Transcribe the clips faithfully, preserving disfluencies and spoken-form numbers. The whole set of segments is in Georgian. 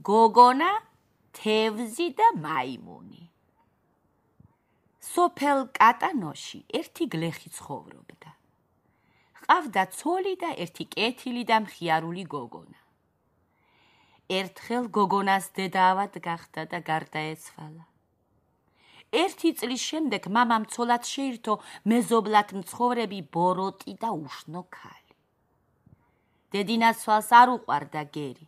გოგონა, თევზი და მაიმუნი. სოფელ კატანოში ერთი გლეხი ცხოვრობდა. ჰყავდა ცოლი და ერთი კეთილი და მხიარული გოგონა. ერთხელ გოგონას დედაავად გახდა და გარდაეცვალა. ერთი წლის შემდეგ მამამ ცოლად შეირთო მეზობლად მცხოვრები ბოროტი და უშნო ქალი. დედინაცვალს არ უყვარდა გერი.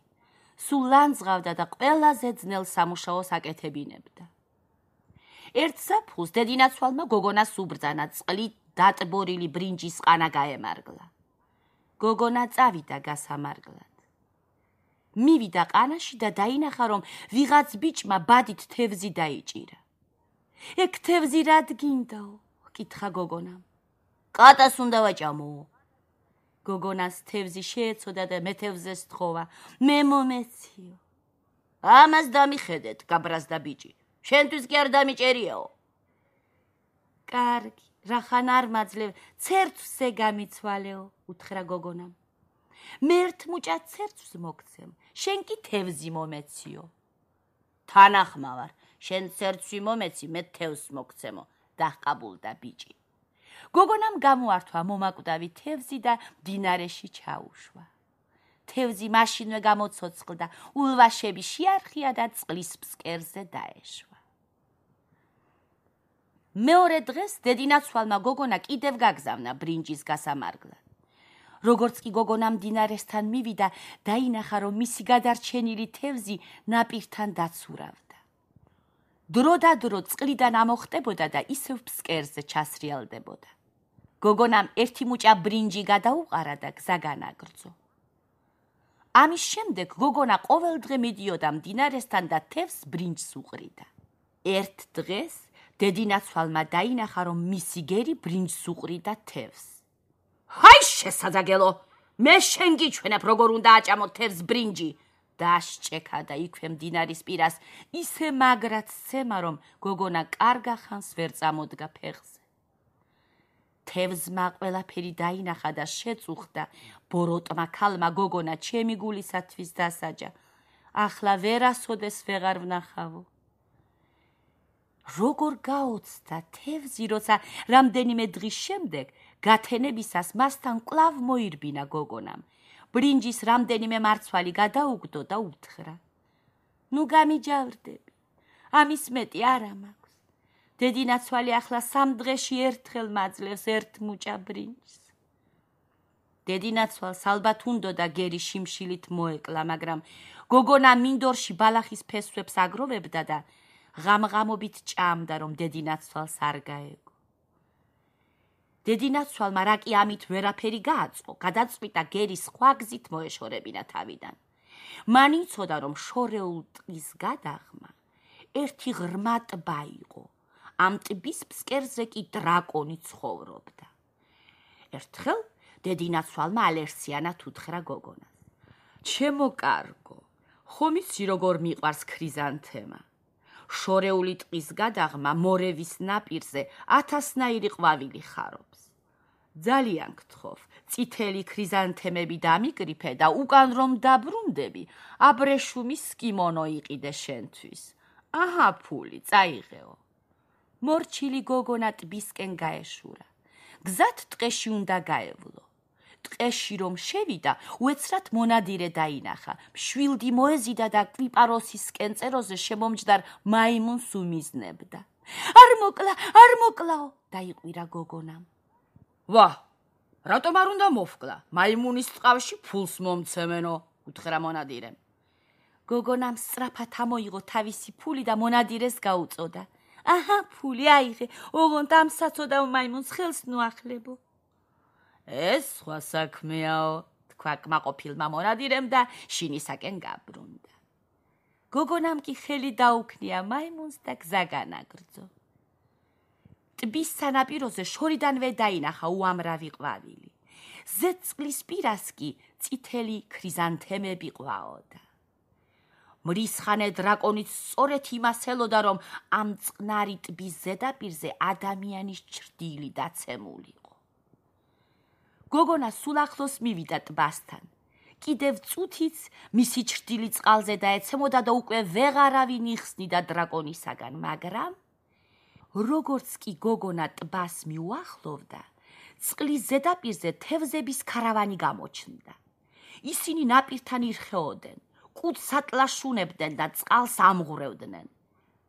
სულ ლანძღავდა და ყველაზე ძნელ სამუშაოს აკეთებინებდა. ერთ ზაფხულს დედინაცვალმა გოგონას უბრძანა წყლით დატბორილი ბრინჯის ყანა გაემარგლა. გოგონა წავიდა გასამარგლად. მივიდა ყანაში და დაინახა, რომ ვიღაც ბიჭმა ბადით თევზი დაიჭირა. ეგ თევზი რად გინდაო? კითხა გოგონამ. კატას უნდა ვაჭამო. გოგონას თევზი შეეცოდა და მეთევზეს თხოვა. მე მომეციო. ამას დამიხედეთ, გაბრაზდა ბიჭი. შენთვის კი არ დამიჭერიაო. კარგი, რახან არ მაძლევ, ცერცვზე გამიცვალეო, უთხრა გოგონამ. მე ერთ მუჭა ცერცვს მოგცემ, შენ კი თევზი მომეციო. თანახმა ვარ, შენ ცერცვი მომეცი, მე თევზს მოგცემო, დაჰყაბულდა ბიჭი. გოგონამ გამოართვა მომაკვდავი თევზი და მდინარეში ჩაუშვა. თევზი მაშინვე გამოცოცხლდა, ულვაშები შეარხია და წყლის ფსკერზე დაეშვა. მეორე დღეს დედინაცვალმა გოგონა კიდევ გაგზავნა ბრინჯის გასამარგლად. როგორც კი გოგონა მდინარესთან მივიდა, დაინახა, რომ მისი გადარჩენილი თევზი ნაპირთან დაცურავდა. დრო და დრო წყლიდან ამოხტებოდა და ისევ ფსკერზე ჩასრიალდებოდა. გოგონამ ერთი მუჭა ბრინჯი გადაუყარა და გზა განაგრძო. ამის შემდეგ გოგონა ყოველდღე მიდიოდა მდინარესთან და თევზს ბრინჯს უყრიდა. ერთ დღეს დედინაცვალმა დაინახა, რომ მისი გერი ბრინჯს უყრიდა თევზს. ჰაი შესაძაგელო, მე შენ გიჩვენებ, როგორ უნდა აჭამო თევზს ბრინჯი. დასჭექა და იქვე მდინარის პირას ისე მაგრად სცემა, რომ გოგონა კარგა ხანს ვერ წამოდგა ფეხზე. თევზმა ყველაფერი დაინახა და შეწუხდა. ბოროტმა ქალმა გოგონა ჩემი გულისათვის დასაჯა. ახლა ვერასოდეს ვეღარ ვნახავო. როგორ გაოცდა თევზი, როცა რამდენიმე დღის შემდეგ გათენებისას მასთან კვლავ მოირბინა გოგონამ. ბრინჯის რამდენიმე მარცვალი გადაუგდო და უთხრა. ნუ გამიჯავრდები, ამის მეტი არა მაქვს. დედინაცვალი ახლა სამ დღეში ერთხელ მაძლევს ერთ მუჭა ბრინჯს. დედინაცვალს ალბათ უნდოდა გერი შიმშილით მოეკლა, მაგრამ გოგონა მინდორში ბალახის ფესვებს აგროვებდა და ღამღამობით ჭამდა, რომ დედინაცვალს არ გაეგო. დედინაცვალმა რა კი ამით ვერაფერი გააწყო, გადაწყვიტა გერი სხვა გზით მოეშორებინა თავიდან. მან იცოდა, რომ შორეულ ტყის გადაღმა ერთი ღრმა ტბა იყო. ამ ტბის ფსკერზე კი დრაკონი ცხოვრობდა. ერთხელ დედინაცვალმა ალერსიანად უთხრა გოგონას. ჩემო კარგო, ხომ იცი როგორ მიყვარს ქრიზანთემა? შორეული ტყის გადაღმა მორევის ნაპირზე ათასნაირი ყვავილი ხარობს. ძალიან გთხოვ, წითელი ქრიზანთემები დამიკრიფე და უკან რომ დაბრუნდები, აბრეშუმის კიმონო იყიდე შენთვის. აჰა ფული, წაიღეო. მორჩილი გოგონა ტბისკენ გაეშურა. გზად ტყეში უნდა გაევლო. ტყეში რომ შევიდა, უეცრად მონადირე დაინახა. მშვილდი მოეზიდა და კვიპაროსისკენ წეროზე შემომჯდარ მაიმუნს უმიზნებდა. არ მოკლა, არ მოკლაო, დაიყვირა გოგონამ. ვა, რატომ არ უნდა მოვკლა? მაიმუნის ტყავში ფულს მომცემენო, უთხრა მონადირემ. გოგონამ სწრაფად ამოიღო თავისი ფული და მონადირეს გაუწოდა. აჰა, ფული აიღე, ოღონდ ამ საცოდა მაიმუნს ხელს ნუახლებო. ეს სხვა საქმეაო, თქვა კმაყოფილმა მონადირემ და შინისაკენ გაბრუნდა. გოგონამ კი ხელი დაუქნია მაიმუნს და გზა განაგრძო. ტბის სანაპიროზე შორიდანვე დაინახა უამრავი ყვავილი. ზეწყლის პირას კი წითელი ქრიზანთემები ყვაოდა. მრისხანე დრაკონიც სწორედ იმას ელოდა, რომ ამ წყნარი ტბის ზედაპირზე ადამიანის ჩრდილი დაცემულიყო. გოგონა სულ ახლოს მივიდა ტბასთან. კიდევ წუთიც მისი ჩრდილი წყალზე დაეცემოდა და უკვე ვეღარავინ იხსნიდა დრაკონისაგან, მაგრამ როგორც კი გოგონა ტბას მიუახლოვდა, წყლის ზედაპირზე თევზების ქარავანი გამოჩნდა. ისინი ნაპირთან ირხეოდნენ, კუდს ატლაშუნებდნენ და წყალს ამღვრევდნენ.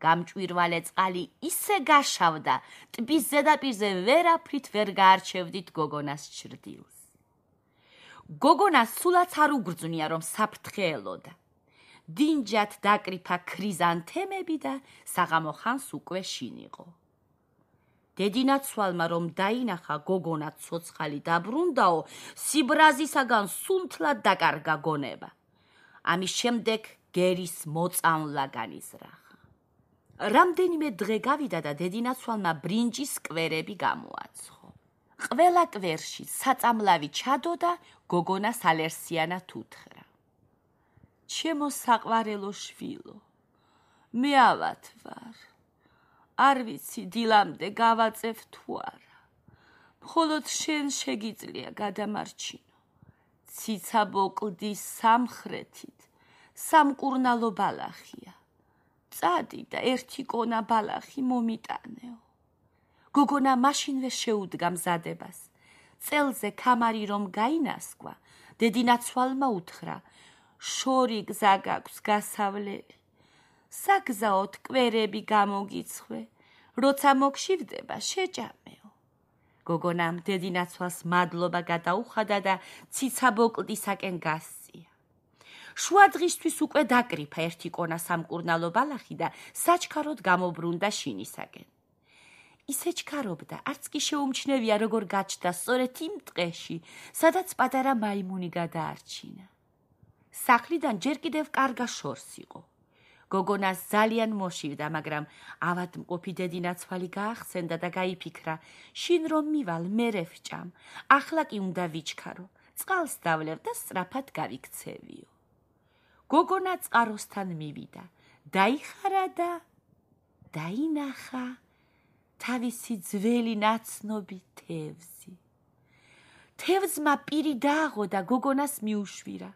გამჭვირვალე წყალი ისე გაშავდა, ტბის ზედაპირზე ვერაფრით ვერ გაარჩევდით გოგონას ჩრდილს. გოგონას სულაც არ უგრძნია, რომ საფრთხე ელოდა. დინჯად დაკრიფა ქრიზანთემები და საღამო ხანს უკვე შინ იყო. დედინაცვალმა რომ დაინახა გოგონა ცოცხალი დაბრუნდაო, სიბრაზისაგან სუნთლად დაკარგა გონება. ამის შემდეგ გერის მოწამვლა განიზრახა. რამდენიმე დღე გავიდა და დედინაცვალმა ბრინჯის კვერები გამოაცხო. ყველა კვერში საწამლავი ჩადო და გოგონას ალერსიანად უთხრა. ჩემო საყვარელო შვილო, მე ავად ვარ. არ ვიცი დილამდე გავაწევ თუ არა. მხოლოდ შენ შეგიძლია გადამარჩინო. ციცაბო კლდის სამხრეთით სამკურნალო ბალახია. წადი და ერთი კონა ბალახი მომიტანეო. გოგონა მაშინვე შეუდგა მზადებას. წელზე ქამარი რომ გაინასკვა, დედინაცვალმა უთხრა, შორი გზა გაქვს გასავლელი. საგზაოდ კვერები გამოგიცხვე, როცა მოგშივდება შეჭამეო. გოგონამ დედინაცვალს მადლობა გადაუხადა და ციცაბო კლდისაკენ გასწია. შუა დღისთვის უკვე დაკრიფა ერთი კონა სამკურნალო ბალახი და საჩქაროდ გამობრუნდა შინისაკენ. ისე ჩქარობდა, არც კი შეუმჩნევია, როგორ გაჩნდა სწორედ იმ ტყეში, სადაც პატარა მაიმუნი გადაარჩინა. სახლიდან ჯერ კიდევ კარგა შორს იყო. გოგონას ძალიან მოშივდა, მაგრამ ავადმყოფი დედინაცვალი გაახსენდა და გაიფიქრა, შინ რომ მივალ, მერე ვჭამ, ახლა კი უნდა ვიჩქარო, წყალს დავლევ და სწრაფად გავიქცევიო. გოგონა წყაროსთან მივიდა, დაიხარა და დაინახა თავისი ძველი ნაცნობი თევზი. თევზმა პირი დააღო და გოგონას მიუშვირა.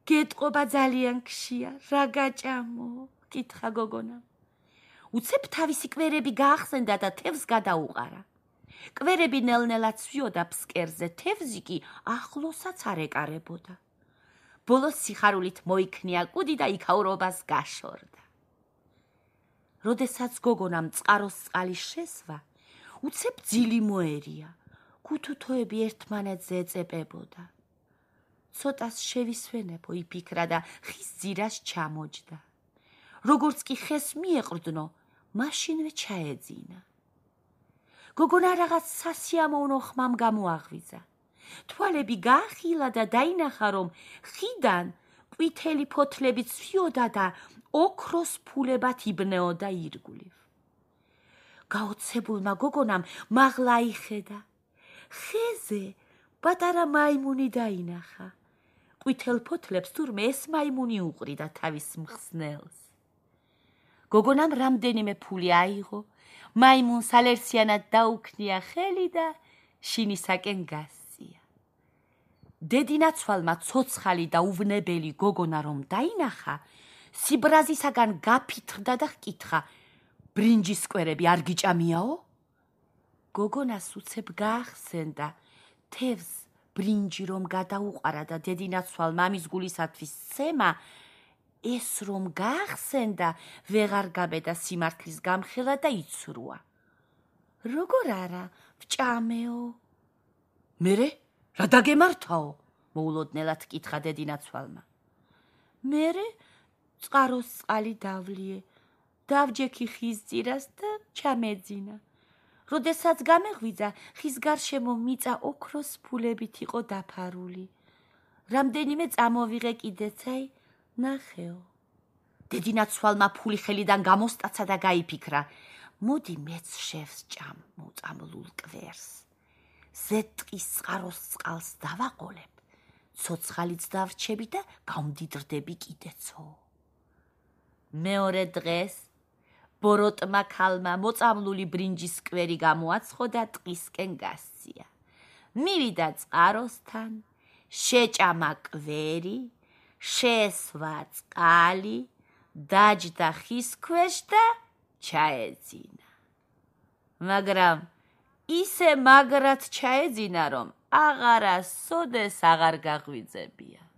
გეტყობა ძალიან ქშია, რა გაჭამო? კითხა გოგონა. უცებ თავისი კვერები გაახსენდა და თევზს გადაუყარა. კვერები ნელ-ნელა ცვიოდა ფსკერზე, თევზი კი ახლოსაც არ ეკარებოდა. ბოლოს სიხარულით მოიქნია კუდი და იქაურობას გაშორდა. როდესაც გოგონამ წყაროს წყალი შესვა, უცებ ძილი მოერია, ქუთუთოები ერთმანეთზე ეწებებოდა. ცოტას შევისვენებო იფიქრა და ხის ძირას ჩამოჯდა. როგორც კი ხეს მიეყრდნო, მაშინვე ჩაეძინა. გოგონა რაღაც სასიამოვნო ხმამ გამოაღვიძა. თვალები გაახილა და დაინახა, რომ ხიდან ყვითელი ფოთლები ცვიოდა და ოქროს ფულებად იბნეოდა ირგვლივ. გაოცებულმა გოგონამ მაღლა აიხედა. ხეზე პატარა მაიმუნი დაინახა. ყვითელ ფოთლებს თურმე ეს მაიმუნი უყრიდა თავის მხსნელს. გოგონამ რამდენიმე ფული აიღო, მაიმუნს ალერსიანად დაუქნია ხელი და შინისაკენ გასწია. დედინაცვალმა ცოცხალი და უვნებელი გოგონა რომ დაინახა, სიბრაზისაგან გაფითრდა და ჰკითხა, ბრინჯის კვერები არ გიჭამიაო? გოგონას უცებ გაახსენდა, თევზს ბრინჯი რომ გადაუყარა და დედინაცვალ მამის გულისათვის სცემა, ეს რომ გაახსენდა, ვეღარ გაბედა სიმართლის გამხელა და იცრუა. როგორ არა, ვჭამეო? მერე, რა დაგემართაო? მოულოდნელად კითხა დედინაცვალმა. მერე წყაროს წყალი დავლიე, დავჯექი ხის ძირას და ჩამეძინა. როდესაც გამეღვიძა, ხის გარშემო მიწა ოქროს ფულებით იყო დაფარული. რამდენიმე წამოვიღე კიდეცაი, ნახეო. დედინაცვალმა ფული ხელიდან გამოსტაცა და გაიფიქრა, მოდი მეც შევსჭამ მოწამლულ კვერს. ზეთყის წყაროს წყალს დავაყოლებ, ცოცხალიც დავრჩები და გავმდიდრდები კიდეცო. მეორე დღეს ბოროტმა ქალმა მოწამლული ბრინჯის კვერი გამოაცხო და ტყისკენ გასწია. მივიდა წყაროსთან, შეჭამა კვერი, შესვა წყალი, დაჯდა ხის ქვეშ და ჩაეძინა. მაგრამ ისე მაგრად ჩაეძინა, რომ აღარასოდეს აღარ გაღვიძებია.